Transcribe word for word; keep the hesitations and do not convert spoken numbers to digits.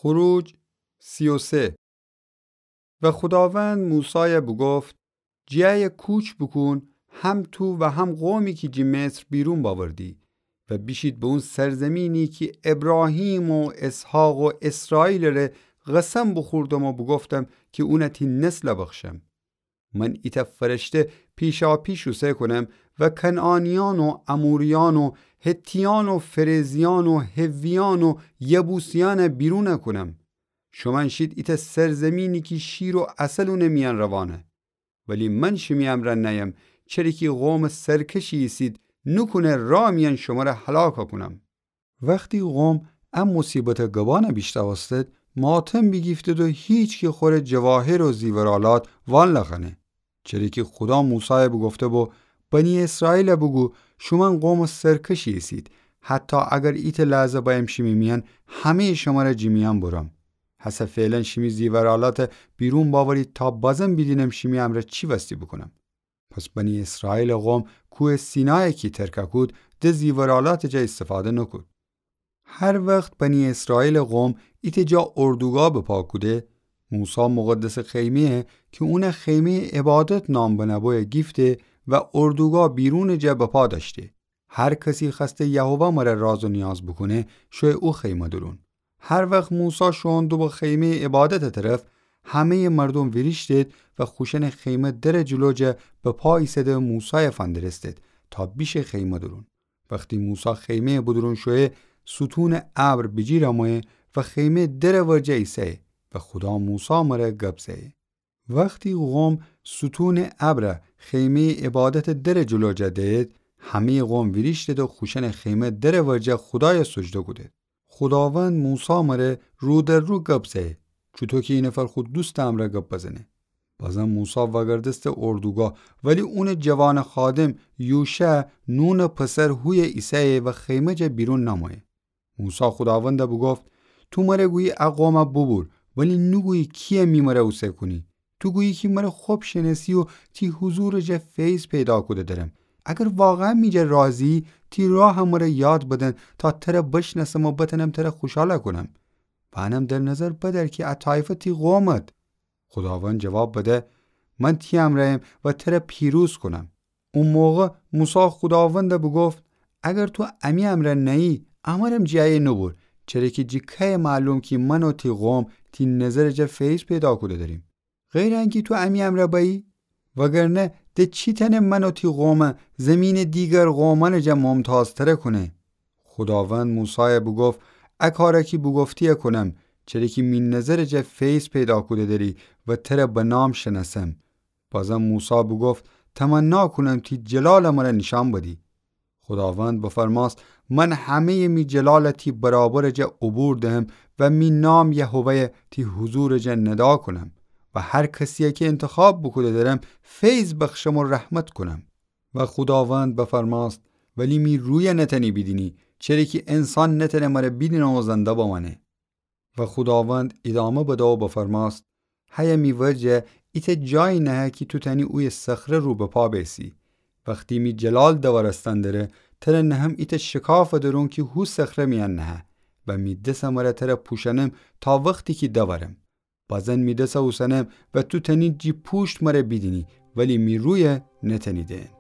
خروج سی و سه. و خوداوند موسایَ بوگفت: جیه کوچ بوکون، هم تو و هم قومی کی جی مصر بیرون باوردی، و بیشید به اون سرزمینی کی ابراهیم و اسحاق و اسرائیلٚ ره قسم بوخوردم و بوگفتم کی اونَ تی نسلَ بخشم. من ایتأ فرشته پیشاپیش اوسه کونم و کنعانیأن و اموریأن و حتیأن و فرزیأن و حویأن و یبوسیأنَ بیرون کونم. شومأن شید ایتأ سرزمینی کی شیر و عسل اونٚ میأن روانه. ولی من شیمی امرأ نأیم، چره کی قومٚ سرکشی ایسید، نوکونه راه میأن شمره هلاک کونم. وختی قوم ا موصیبتٚ گبأنَ بیشنوستد، ماتم بیگیفتد و هیچکی خوره جواهر و زیورآلات وال نخوأنه. چره کی خودا موسایَ بوگفته بو: بنی اسرائیلَ بوگو، شومأن قومٚ سرکشی ایسید، حتی اگر ایتأ لحظه بأیم شیمی میأن، همه‌یٚ شمره جی میأن برم. هسه فعلاً شیمی زیورآلاتَ بیرون باورید تا بازم بیدینم شیمی امرأ چی وستی بوکونم. پس بنی اسرائیلٚ قوم کوهٚ سینایَ کی ترکَ کود، د زیورآلاتٚ جا ایستفاده نوکود. هر وخت بنی اسرائیلٚ قوم ایتأ جا اردوگاه بپا کوده، موسی مقدسٚ خیمه‌یَ کی اونَ خیمه‌یٚ عبادت نام بنه‌بویَ گیفته و اردوگاه بیرونٚ جا بپا دأشته. هر کسی خوأسته یهوه مره راز و نیاز بوکونه، شویه او خیمه دورون. هر وخت موسی شوئون دوبو خیمه‌یٚ عبادتٚ طرف، همه‌یٚ مردوم ویریشتید و خوشأنٚ خیمه درٚ جلو جا بپا ایسه‌ده موسایَ فندرستید تا بیشه خیمه دورون. وختی موسی خیمه‌یٚ بدورون شویه، ستونٚ ابر بیجیر امویه و خیمه درٚ ورجه ایسه‌یه و خودا موسی مره گب زه‌یه. وختی قوم ستونٚ ابرَ خیمه‌یٚ عبادتٚ درٚ جلو جا دید، همه‌یٚ قوم ویریشتید و خوشأنٚ خیمه درٚ ورجه خودایَ سجده کودید. خوداوند موسی مره رو در رو گب زه‌یه، چوطو کی ای نفر خو دوستٚ امرأ گب بزنه. بازم موسی وأگردسته اردوگاه، ولی اونٚ جوانٚ خادم یوشع، نونٚ پسر، هویه ایسه‌یه و خیمه جا بیرون نمویه. موسی خوداوندَ بوگفت: تو مره گویی ا قومَ بوبور، ولی نوگویی کی‌یه می مره اوسه کونی. تو گویی کی مره خب شنأسی و تی حضورٚ جا فیض پیدا کوده درم. اگر واقعاً می جا راضی‌یی، تی راهَ مره یاد بدن تا تره بشنأسم و بتأنم تره خوشحالَ کونم. و انم در نظر بدأر کی ا طایفه تی قومد. خوداوند جواب بده: من تی امرأیم و تره پیروز کونم. او موقع موسی خوداوندَ بوگفت: اگر تو امی امرأ نأیی، امرم جیه نوبور، چره کی جی کیه معلوم کی من و تی قوم تی نظرٚ جا فیض پیدا کوده دریم؟ غیرٚ انکی تو امی امرأ بأیی؟ وگرنه د چی تأنه من و تی قومَ زیمینٚ دیگر قومأنٚ جا ممتازتر کونه؟ خوداوند موسایَ بوگفت: ا کارَ کی بوگفتی‌یه کونم، چره کی می نظرٚ جا فیض پیدا کوده دری و تره به نام شنأسم. بازم موسی بوگفت: تمنا کونم تی جلالَ مره نیشأن بدی. خوداوند بفرمأست: من همه‌یٚ می جلالَ تی برابرٚ جا عبور دهم و می نام یهوه‌یَ تی حضورٚ جا ندا کونم و هر کسی‌یَ کی انتخاب بوکوده درم، فیض بخشم و رحمت کونم. و خوداوند بفرمأست: ولی می رویَ نتأنی بیدینی، چره کی انسان نتأنه مره بیدینه و زنده بمأنه. و خوداوند ایدامه بده و بفرمأست: هیه می ورجه ایتأ جایی نهه کی تو تأنی اویه صخره رو به پا بیسی. وختی می جلال دوأرستن دره، تره نهم ایتأ شکافٚ درون کی هو صخره میأن نهه و می دسٚ مره تره پوشأنم تا وختی کی دوأرم. بازن می دسَ اوسنم و تو تأنی جی پوشت مره بیدینی، ولی می رویَ نتأنی دئن.